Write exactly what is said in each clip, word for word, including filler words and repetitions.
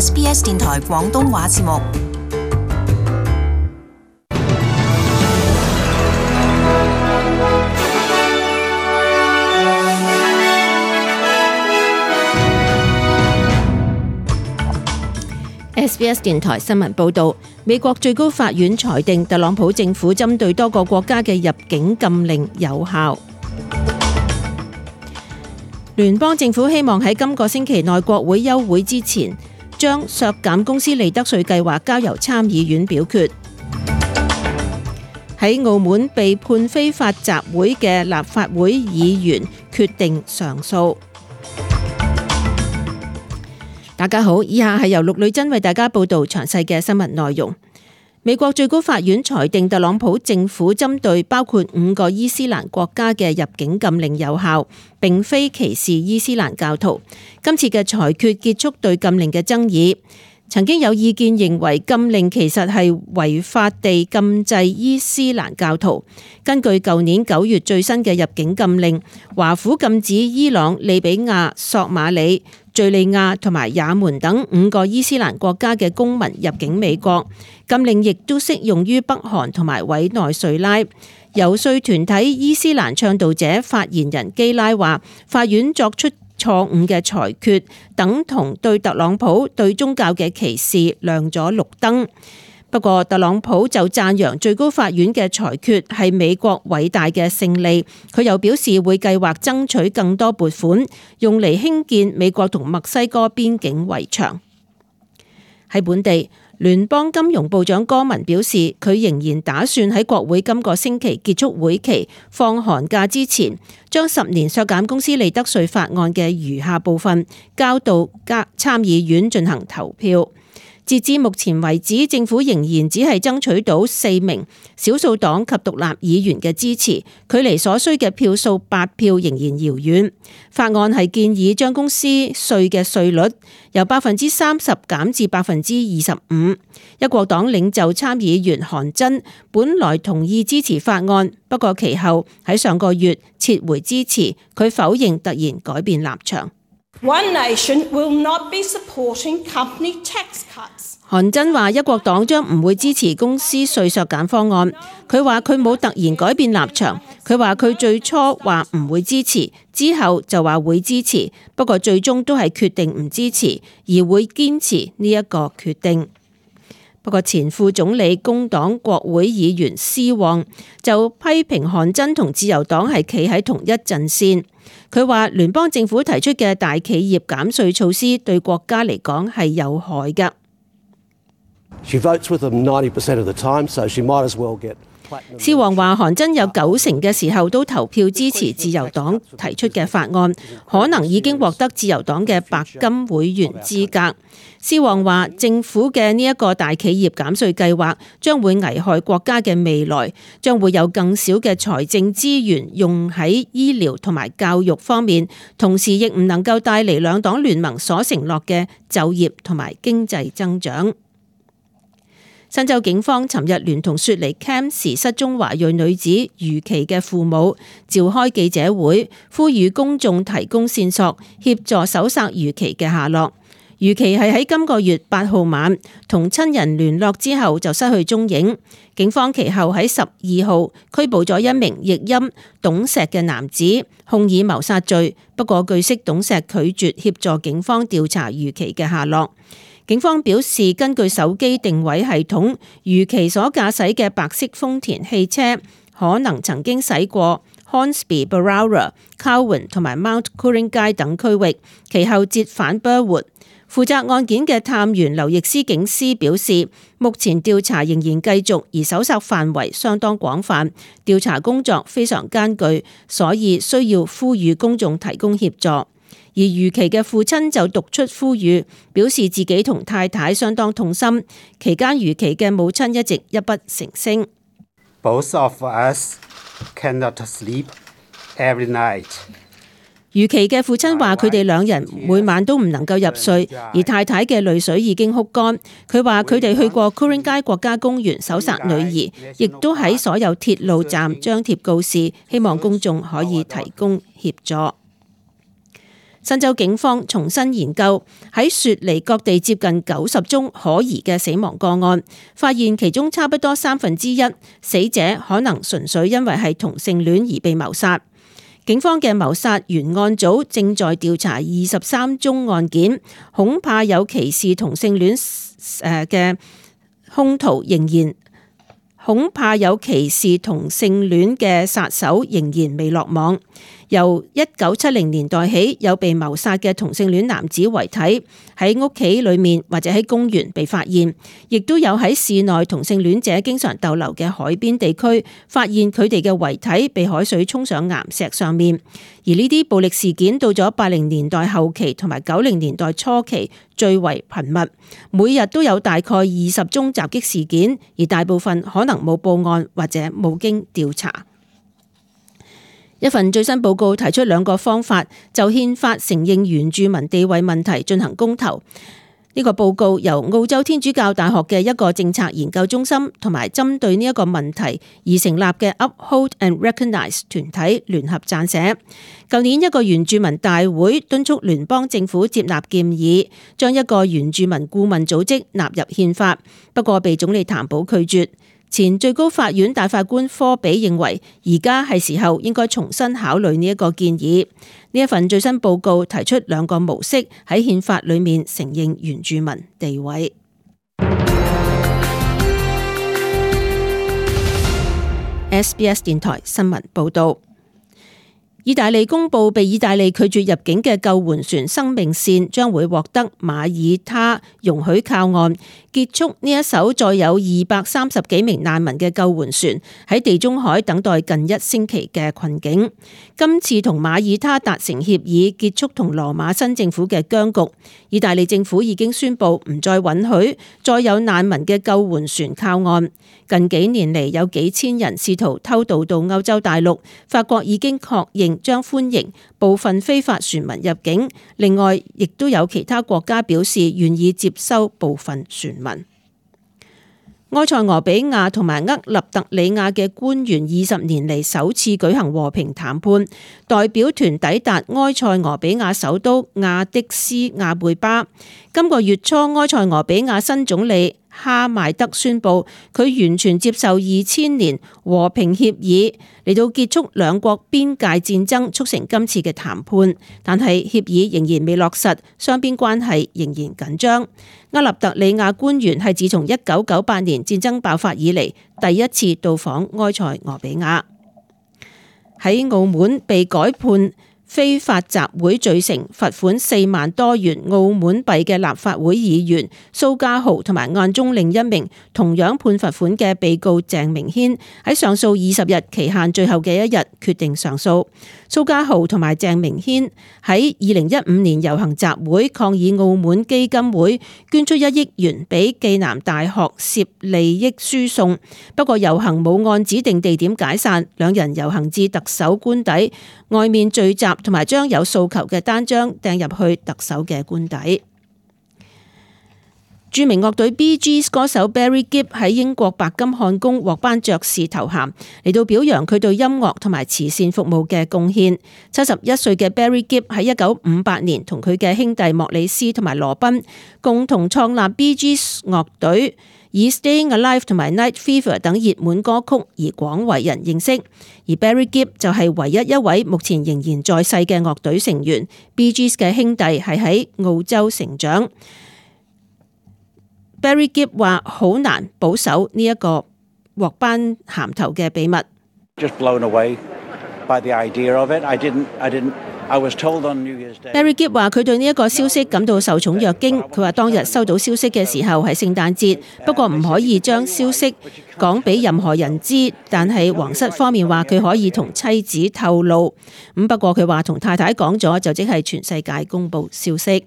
S B S 電台廣東話節目。S B S 電台新聞報導，美國最高法院裁定特朗普政府針對多個國家嘅入境禁令有效。聯邦政府希望喺今個星期內國會休會之前，將削減公司利得稅計劃交由參議院表決。喺澳門被判非法集會嘅立法會議員決定上訴。大家好，以下係由陸女珍為大家報道詳細嘅新聞內容。美國最高法院裁定特朗普政府針對包括五個伊斯蘭國家嘅入境禁令有效，並非歧視伊斯蘭教徒。今次嘅裁決結束對禁令嘅爭議。曾經有意見認為禁令其實係違法地禁制伊斯蘭教徒。根據舊年九月最新嘅入境禁令，華府禁止伊朗、利比亞、索馬里、敘利亞同埋也門等五個伊斯蘭國家嘅公民入境美國。禁令亦都適用於北韓同埋委內瑞拉。遊說團體伊斯蘭倡導者發言人基拉話，法院作出錯誤嘅裁決，等同對特朗普對宗教嘅歧視亮咗綠燈。不過特朗普就讚揚最高法院嘅裁決係美國偉大嘅勝利。佢又表示會計劃爭取更多撥款，用嚟興建美國同墨西哥邊境圍牆。喺本地，聯邦金融部長柯文表示，佢仍然打算喺國會今個星期結束會期放寒假之前，將十年削減公司利得稅法案嘅餘下部分交到參議院進行投票。截至目前為止，政府仍然只係爭取到四名少數黨及獨立議員嘅支持，距離所需嘅票數八票仍然遙遠。法案係建議將公司稅嘅稅率由百分之三十減至百分之二十五。一國黨領袖參議員韓真本來同意支持法案，不過其後喺上個月撤回支持，佢否認突然改變立場。One nation will not be supporting company tax cuts. 韓真話一國黨將唔會支持公司稅削減方案。佢話佢冇突然改變立場。佢話佢最初話唔會支持，之後就話會支持，不過最終都係決定唔支持，而會堅持呢一個決定。不過前副總理工黨國會議員施旺就批評韓真同自由黨係企喺同一陣線。佢話聯邦政府提出嘅大企業減稅措施對國家嚟講係有害㗎。施旺話韓真有九成嘅時候都投票支持自由黨提出嘅法案，可能已經獲得自由黨嘅白金會員資格。施旺話政府嘅呢一個大企業減稅計劃將會危害國家嘅未來，將會有更少嘅財政資源用喺醫療同埋教育方面，同時亦唔能夠帶嚟兩黨聯盟所承諾嘅就業同埋經濟增長。新州警方尋日聯同雪梨 camp 時失蹤華裔女子余琪嘅父母召開記者會，呼籲公眾提供線索，協助搜索余琪嘅下落。余琪係喺今個月八號晚同親人聯絡之後就失去蹤影。警方其後喺十二號拘捕咗一名譯音董石嘅男子，控以謀殺罪。不過據悉董石拒絕協助警方調查余琪嘅下落。警方表示，根據手機定位系統，余琪所駕駛嘅白色豐田汽車可能曾經駛過 Hornsby、Berowra、Cowan 同埋 Mount Curran 街等區域，其後折返 Burwood。負責案件嘅探員劉易斯警司表示，目前調查仍然繼續，而搜索範圍相當廣泛，調查工作非常艱巨，所以需要呼籲公眾提供協助。而余琪嘅父親就讀出呼籲，表示自己同太太相當痛心。期間余琪嘅母親一直泣不成聲。Both of us cannot sleep every night. 余琪嘅父親話佢哋兩人每晚都唔能夠入睡，而太太嘅淚水已經哭乾。佢話佢哋去過 Curran 街國家公園搜索女兒，亦都喺所有鐵路站張貼告示，希望公眾可以提供協助。新州警方重新研究喺雪梨各地接近九十宗可疑嘅死亡個案，發現其中差不多三分之一死者可能純粹因為係同性戀而被謀殺。警方嘅謀殺原案組正在調查二十三宗案件，恐怕有歧視同性戀誒嘅兇徒仍然。恐怕有歧視同性戀嘅殺手仍然未落網。由一九七零年代起，有被謀殺嘅同性戀男子遺體喺屋企裏面或者喺公園被發現，亦都有喺市內同性戀者經常逗留嘅海邊地區發現佢哋嘅遺體被海水沖上岩石上面。而呢啲暴力事件到咗八零年代後期同埋九零年代初期最為頻密，每日都有大概二十宗襲擊事件，而大部分可能冇報案或者冇經調查。一份最新報告提出兩個方法就憲法承認原住民地位問題進行公投。呢個報告由澳洲天主教大學嘅一個政策研究中心同埋針對呢一個問題而成立嘅 Uphold and Recognize 團體聯合撰寫。舊年一個原住民大會敦促聯邦政府接納建議，將一個原住民顧問組織納入憲法，不過被總理譚寶拒絕。前最高法院大法官科比認為，而家係時候應該重新考慮呢一個建議。呢一份最新報告提出兩個模式喺憲法裏面承認原住民地位。S B S 電台新聞報道。意大利公布被意大利拒絕入境嘅救援船生命線將會獲得馬耳他容許靠岸，結束呢一艘載有二百三十幾名難民嘅救援船喺地中海等待近一星期嘅困境。今次同馬耳他達成協議，結束同羅馬新政府嘅僵局。意大利政府已經宣布唔再允許再有難民嘅救援船靠岸。近幾年嚟有幾千人試圖偷渡到歐洲大陸，法國已經確認將歡迎部分非法船民入境，另外亦都有其他國家表示願意接收部分船民。埃塞俄比亞同埋厄立特里亞嘅官員二十年嚟首次舉行和平談判，代表團抵達埃塞俄比亞首都亞的斯亞貝巴。今個月初，埃塞俄比亞新總理哈邁德宣布，佢完全接受二千年和平協議嚟到結束兩國邊界戰爭，促成今次嘅談判。但係協議仍然未落實，雙邊關係仍然緊張。厄立特里亞官員係自從一九九八年戰爭爆發以嚟第一次到訪埃塞俄比亞。喺澳門被改判非法集會罪成，罰款四萬多元澳門幣嘅立法會議員蘇家豪同埋案中另一名同樣判罰款嘅被告鄭明軒喺上訴二十日期限最後嘅一日決定上訴。蘇家豪同埋鄭明軒喺二零一五年遊行集會抗議澳門基金會捐出一億元俾暨南大學涉利益輸送，不過遊行冇按指定地點解散，兩人遊行至特首官邸外面聚集，同埋將有訴求嘅單張掟入去特首嘅官邸。著名樂隊 Bee Gees 歌手 Barry Gibb 喺英國白金漢宮獲頒爵士頭銜，嚟到表揚佢對音樂同埋慈善服務嘅貢獻。七十一歲嘅 Barry Gibb 喺一九五八年同佢嘅兄弟莫里斯同埋羅賓共同創立 Bee Gees 樂隊，以 Staying Alive 同埋 Night Fever 等熱門歌曲而廣為人認識。而 Barry Gibb 就係唯一一位目前仍然在世嘅樂隊成員。Bee Gees 嘅兄弟係喺澳洲成長。Barry Gibb 話好難保守呢一個獲頒銜頭嘅秘密。Just blown away by the idea of it. I didn't, I didn't, I was told on New Year's Day. Barry Gibb 話佢對呢一個消息感到受寵若驚。佢話當日收到消息嘅時候係聖誕節，不過唔可以將消息講俾任何人知。但係皇室方面話佢可以同妻子透露。咁不過佢話同太太講咗，就即係全世界公佈消息。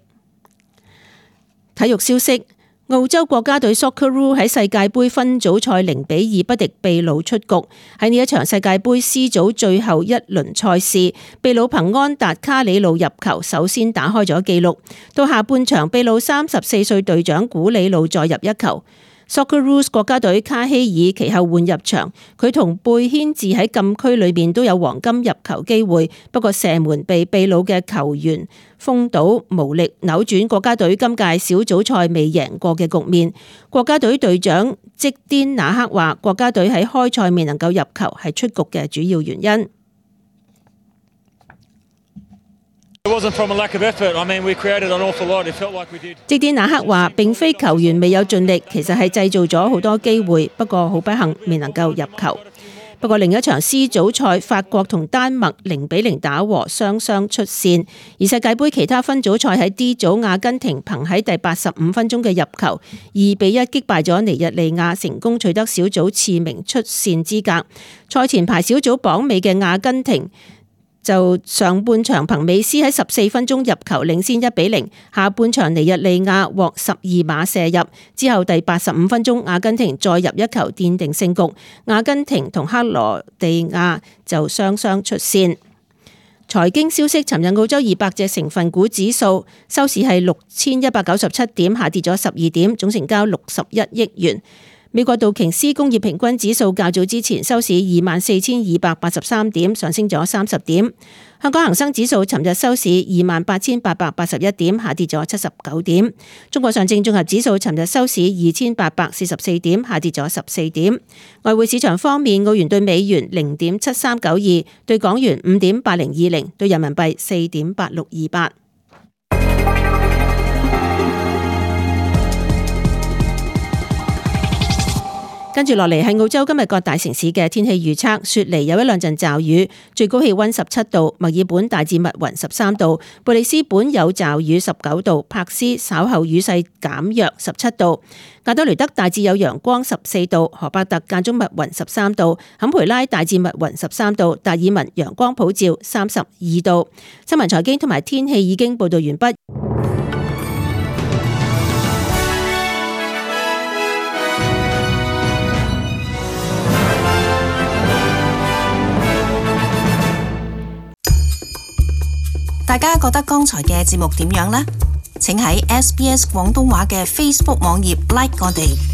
體育消息。澳洲國家隊 Socceroo 喺世界盃分組賽零比二不敵秘魯出局。喺呢一場世界盃 C 組最後一輪賽事，秘魯憑安達卡里路入球首先打開咗紀錄。到下半場，秘魯三十四歲隊長古里路再入一球。Socceroos 國家隊卡希爾其後換入場，佢同貝軒治喺禁區裏面都有黃金入球機會，不過射門被秘魯嘅球員封堵，無力扭轉國家隊今屆小組賽未贏過嘅局面。國家隊隊長積甸那克話：國家隊喺開賽未能夠入球係出局嘅主要原因。積甸那克話：並非球員未有盡力，其實係製造咗好多機會，不過好不幸未能夠入球。不過另一場 C 組賽，法國同丹麥零比零打和，雙雙出線。而世界盃其他分組賽喺 D 組，阿根廷憑喺第八十五分鐘嘅入球，二比一擊敗咗尼日利亞，成功取得小組次名出線資格。賽前排小組榜尾嘅阿根廷就上半場憑美斯喺十四分鐘入球領先一比零，下半場尼日利亞獲十二碼射入，之後第八十五分鐘阿根廷再入一球奠定勝局，阿根廷同克羅地亞就雙雙出線。財經消息，尋日澳洲二百隻成分股指數收市係六千一百九十七點，下跌咗十二點，總成交六十一億元。美國道瓊斯工業平均指數較早之前收市二萬四千二百八十三點，上升咗三十點。香港恒生指數尋日收市二萬八千八百八十一點，下跌咗七十九點。中國上證綜合指數尋日收市二千八百四十四點，下跌咗十四點。外匯市場方面，澳元對美元零點七三九二，對港元五點八零二零，對人民幣四點八六二八。跟住落嚟係澳洲今日各大城市嘅天氣預測，雪梨有一兩陣驟雨，最高氣溫十七度；墨爾本大致密雲十三度；貝里斯本有驟雨十九度；柏斯稍後雨勢減弱十七度；亞德雷德大致有陽光十四度；荷伯特間中密雲十三度；坎培拉大致密雲十三度；達爾文陽光普照三十二度。新聞財經同埋天氣已經報道完畢。大家覺得剛才嘅節目點樣呢？請喺 S B S 廣東話嘅 Facebook 網頁 like 我哋。